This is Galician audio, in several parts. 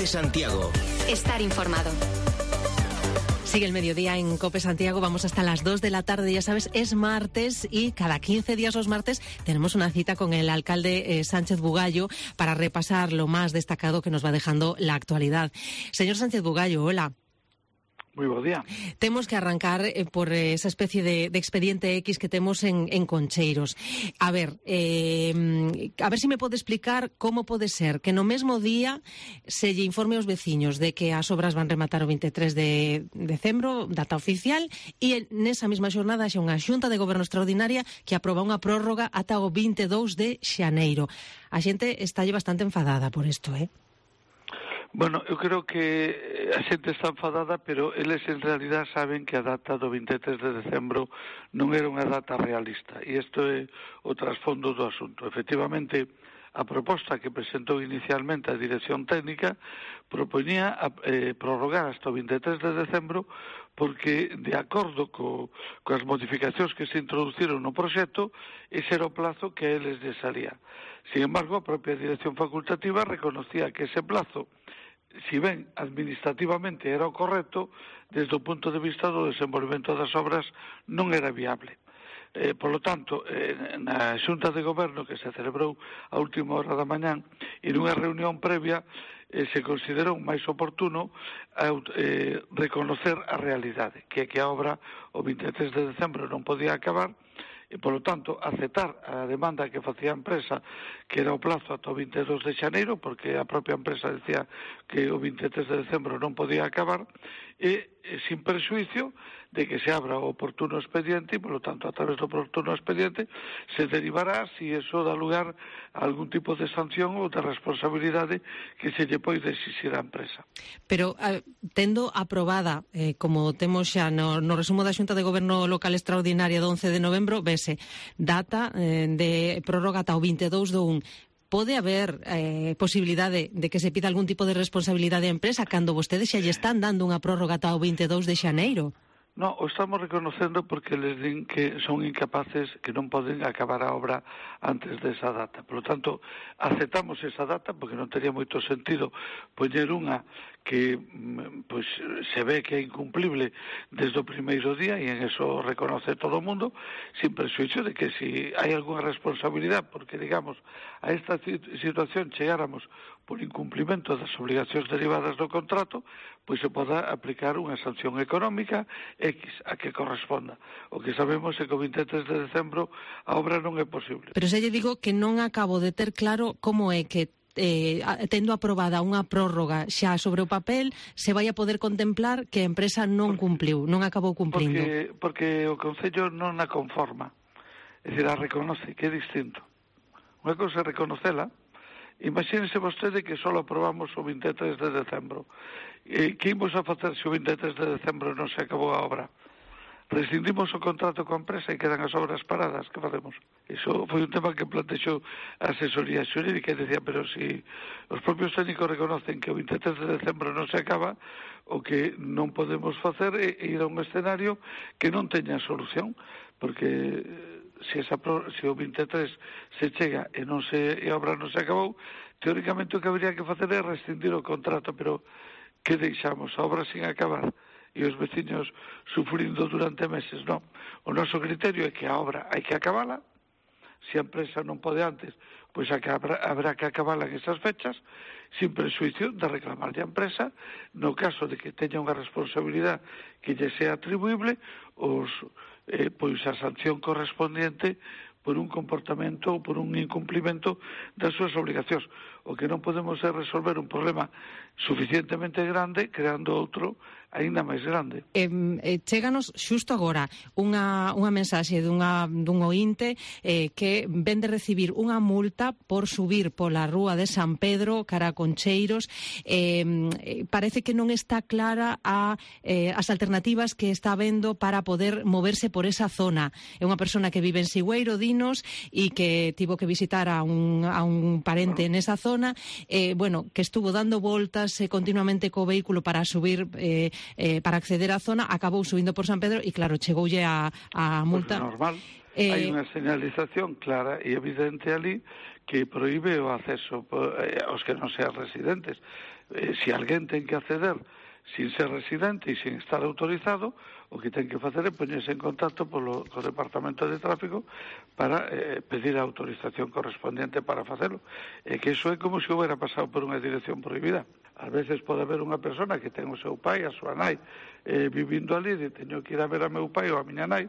Santiago. Estar informado. Sigue el mediodía en COPE Santiago, vamos hasta las 2 de la tarde, ya sabes, es martes y cada 15 días los martes tenemos una cita con el alcalde Sánchez Bugallo para repasar lo más destacado que nos va dejando la actualidad. Señor Sánchez Bugallo, hola. Muy buen día. Tenemos que arrancar por esa especie de expediente X que tenemos en Concheiros. A ver si me pode explicar como pode ser que no mesmo día se lle informe aos veciños de que as obras van rematar o 23 de decembro, data oficial, e nesa mesma xornada xa unha xunta de goberno extraordinaria que aproba unha prórroga ata o 22 de xaneiro. A xente está bastante enfadada por isto, Bueno, eu creo que a xente está enfadada, pero eles en realidad saben que a data do 23 de decembro non era unha data realista, e isto é o trasfondo do asunto. Efectivamente, a proposta que presentou inicialmente a Dirección Técnica proponía prorrogar hasta o 23 de decembro porque, de acordo coas modificacións que se introduciron no proxecto, ese era o plazo que a eles les salía. Sin embargo, a propia Dirección Facultativa reconocía que ese plazo, si ben administrativamente era o correcto, desde o punto de vista do desenvolvemento das obras non era viable. Por lo tanto, na Xunta de Goberno que se celebrou a última hora da mañán e nunha reunión previa se considerou máis oportuno reconocer a realidade, que a obra o 23 de decembro non podía acabar, e, polo tanto, aceptar a demanda que facía a empresa, que era o plazo ata o 22 de xaneiro, porque a propia empresa decía que o 23 de decembro non podía acabar, e sin perxuicio de que se abra o oportuno expediente e, polo tanto, a través do oportuno expediente se derivará si eso dá lugar a algún tipo de sanción ou de responsabilidade que se lle poide exixir á empresa. Pero, tendo aprobada, como temos xa no resumo da Xunta de Goberno Local Extraordinaria do 11 de novembro, vese data de prórroga ata o 22 do 1. Pode haber posibilidade de que se pida algún tipo de responsabilidade á empresa cando vostedes xa lle están dando unha prórroga ata o 22 de xaneiro? No, o estamos reconocendo porque les din que son incapaces, que non poden acabar a obra antes desa data. Por lo tanto, aceptamos esa data porque non tería moito sentido poñer unha que pois se ve que é incumplible desde o primeiro día, e en eso reconoce todo o mundo, sin perxuicio de que si hai algunha responsabilidade, porque, digamos, a esta situación chegáramos por incumplimento das obligacións derivadas do contrato, pois se poda aplicar unha sanción económica X a que corresponda. O que sabemos é que o 23 de decembro a obra non é posible. Pero xa lle digo que non acabo de ter claro como é que tendo aprobada unha prórroga xa sobre o papel, se vai a poder contemplar que a empresa non cumpliu, non acabou cumplindo. Porque o Concello non a conforma, é dicir, a reconoce, que é distinto. Unha cousa é reconocela. Imagínese vostede que só aprobamos o 23 de decembro. Que imos a facer se o 23 de decembro non se acabou a obra? Rescindimos o contrato coa empresa e quedan as obras paradas, que facemos? Iso foi un tema que plantexou a asesoría xurídica e decía, pero si os propios técnicos reconocen que o 23 de decembro non se acaba, o que non podemos facer é ir a un escenario que non teña solución, porque se o 23 se chega e a obra non se acabou, teóricamente o que habría que facer é rescindir o contrato, pero que deixamos a obra sin acabar e os veciños sufrindo durante meses? Non. O noso criterio é que a obra hai que acabala. Se a empresa non pode antes, pois habrá que acabala en esas fechas, sin presuicio de reclamarlle a empresa, no caso de que teña unha responsabilidade que lle sea atribuible, pois a sanción correspondiente por un comportamento ou por un incumplimento das súas obligacións. O que non podemos é resolver un problema suficientemente grande creando outro aínda máis grande. Chéganos xusto agora unha mensaxe dun oínte que ven de recibir unha multa por subir pola rúa de San Pedro cara a Concheiros. Parece que non está clara as alternativas que está vendo para poder moverse por esa zona. É unha persona que vive en Sigüeiro, dinos, e que tivo que visitar a un parente nesa zona, que estuvo dando voltas continuamente co vehículo para subir para acceder á zona, acabou subindo por San Pedro e claro, chegoulle a multa. Pues normal, hai unha señalización clara e evidente ali que proíbe o acceso aos que non sean residentes. se alguén ten que acceder sin ser residente e sin estar autorizado, o que ten que facer é poñerse en contacto co Departamento de Tráfico para pedir a autorización correspondiente para facelo. E que iso é como se houbera pasado por unha dirección prohibida. Ás veces pode haber unha persona que ten o seu pai, a súa nai, vivindo ali, e teño que ir a ver a meu pai ou a miña nai,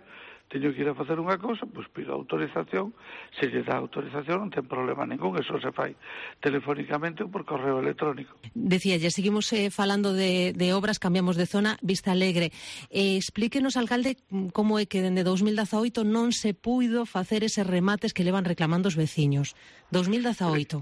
teño que ir a facer unha cousa, pois pido autorización, se lle dá autorización non ten problema ningún, eso se fai telefónicamente ou por correo electrónico. Decía, ya seguimos falando de obras, cambiamos de zona, Vista Alegre. Explíquenos, alcalde, como é que dende 2018 non se puido facer eses remates que levan reclamando os veciños. 2018.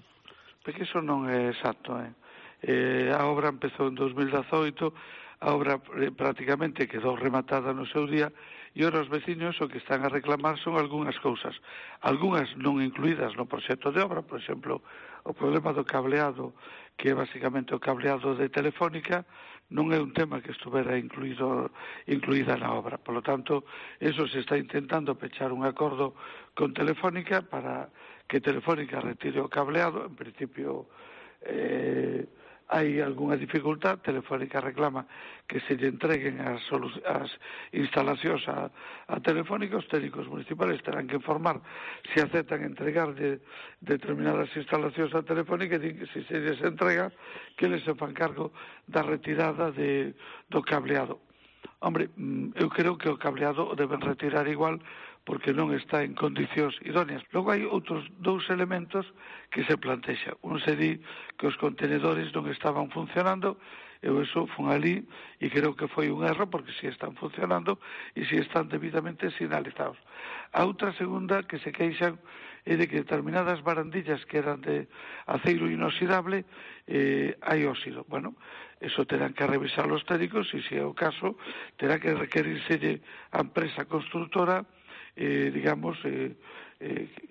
Porque iso non é exacto, a obra empezou en 2018, a obra prácticamente quedou rematada no seu día, e ora os veciños o que están a reclamar son algunhas cousas, algunhas non incluídas no proxecto de obra, por exemplo, o problema do cableado, que é basicamente o cableado de Telefónica, non é un tema que estuvera incluída na obra. Por lo tanto, eso se está intentando pechar un acordo con Telefónica para que Telefónica retire o cableado. En principio, hai algunha dificultad, Telefónica reclama que se lle entreguen as instalacións a Telefónica, os técnicos municipales terán que informar se aceptan entregarlle determinadas instalacións a Telefónica, e din que se lles entrega, que les se fan cargo da retirada do cableado. Hombre, eu creo que o cableado o deben retirar igual, porque non está en condicións idóneas. Logo hai outros dous elementos que se plantexan. Un se di que os contenedores non estaban funcionando, eu eso fun ali e creo que foi un erro, porque si están funcionando e si están debidamente sinalizados. A outra segunda que se queixan é de que determinadas barandillas que eran de aceiro inoxidable hai óxido. Bueno, eso terán que revisar os técnicos e, se é o caso, terá que requerírselle a empresa constructora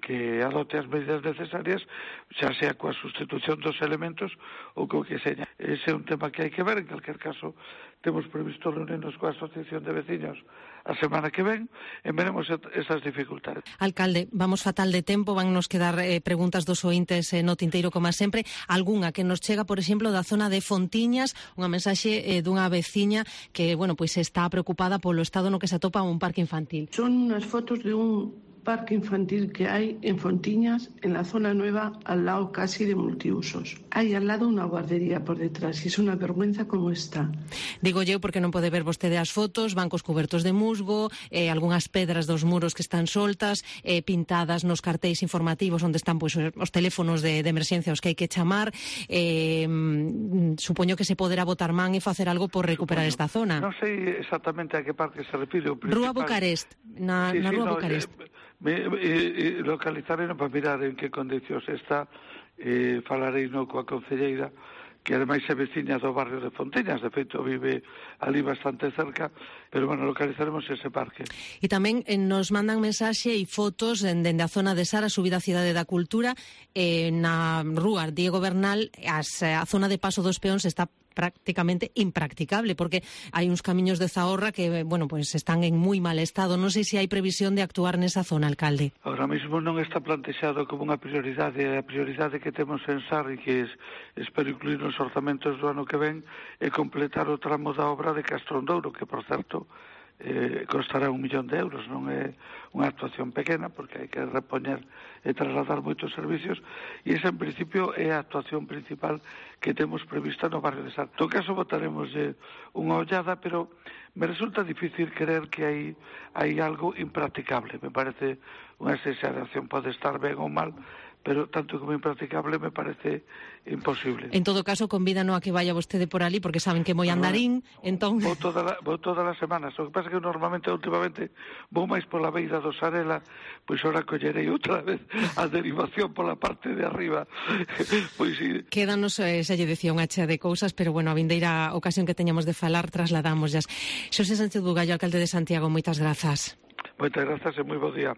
que adote as medidas necesarias, xa sea coa sustitución dos elementos ou co que seña. Ese é un tema que hai que ver. En calquer caso, temos previsto reunirnos coa Asociación de Veciños a semana que ven e veremos esas dificultades. Alcalde, vamos fatal de tempo, van nos quedar preguntas dos ointes no tinteiro como sempre. Algúnha que nos chega, por exemplo, da zona de Fontiñas, unha mensaxe dunha veciña que, bueno, pois está preocupada polo estado no que se atopa un parque infantil. Son unhas fotos de un parque infantil que hay en Fontiñas, en la zona nueva, al lado casi de multiusos. Hay al lado una guardería por detrás y es una vergüenza como está. Digo eu porque non pode ver vostede as fotos, bancos cubertos de musgo, algunhas pedras dos muros que están soltas, pintadas nos cartéis informativos onde están pois, os teléfonos de emerxencia os que hai que chamar. Supoño que se poderá botar man e facer algo por recuperar esta zona. Non sei exactamente a que parque se refire. Rúa Bucarest, na Rúa Bucarest. Localizarei para mirar en que condicións está, falarei coa concelleira, que ademais é veciña do barrio de Fontiñas, de feito vive ali bastante cerca, pero bueno, localizaremos ese parque. E tamén nos mandan mensaxe e fotos dende a zona de Sara, subida a Cidade da Cultura, na rúa Diego Bernal, a zona de paso dos peóns está prácticamente impracticable, porque hai uns camiños de Zahorra que, bueno, pues están en moi mal estado. Non sei se hai previsión de actuar nesa zona, alcalde. Ahora mesmo non está plantexado como unha prioridade. A prioridade que temos en SAR e que espero incluir nos orzamentos do ano que ven é completar o tramo da obra de Castrondouro, que, por certo, costará 1 millón de euros. Non é unha actuación pequena, porque hai que repoñer e trasladar moitos servicios, e esa en principio é a actuación principal que temos prevista no barrio de Sar. En todo caso, botaremos unha ollada, pero me resulta difícil creer que hai algo impracticable. Me parece unha exageración, pode estar ben ou mal, pero tanto como impracticable me parece imposible. En todo caso, convídanos a que vaya vostede por ali, porque saben que moi andarín, entón... Vou todas as semanas. O que pasa é que normalmente, últimamente, vou máis pola beira do Sarela, pois ora collerei outra vez a derivación pola parte de arriba. Pois sí. Quédanos, xa lle decía, unha chea de cousas, pero bueno, a vindeira ocasión que teñamos de falar, trasladamos. Xosé Sánchez Bugallo, alcalde de Santiago, moitas grazas. Moitas grazas e moi bo día.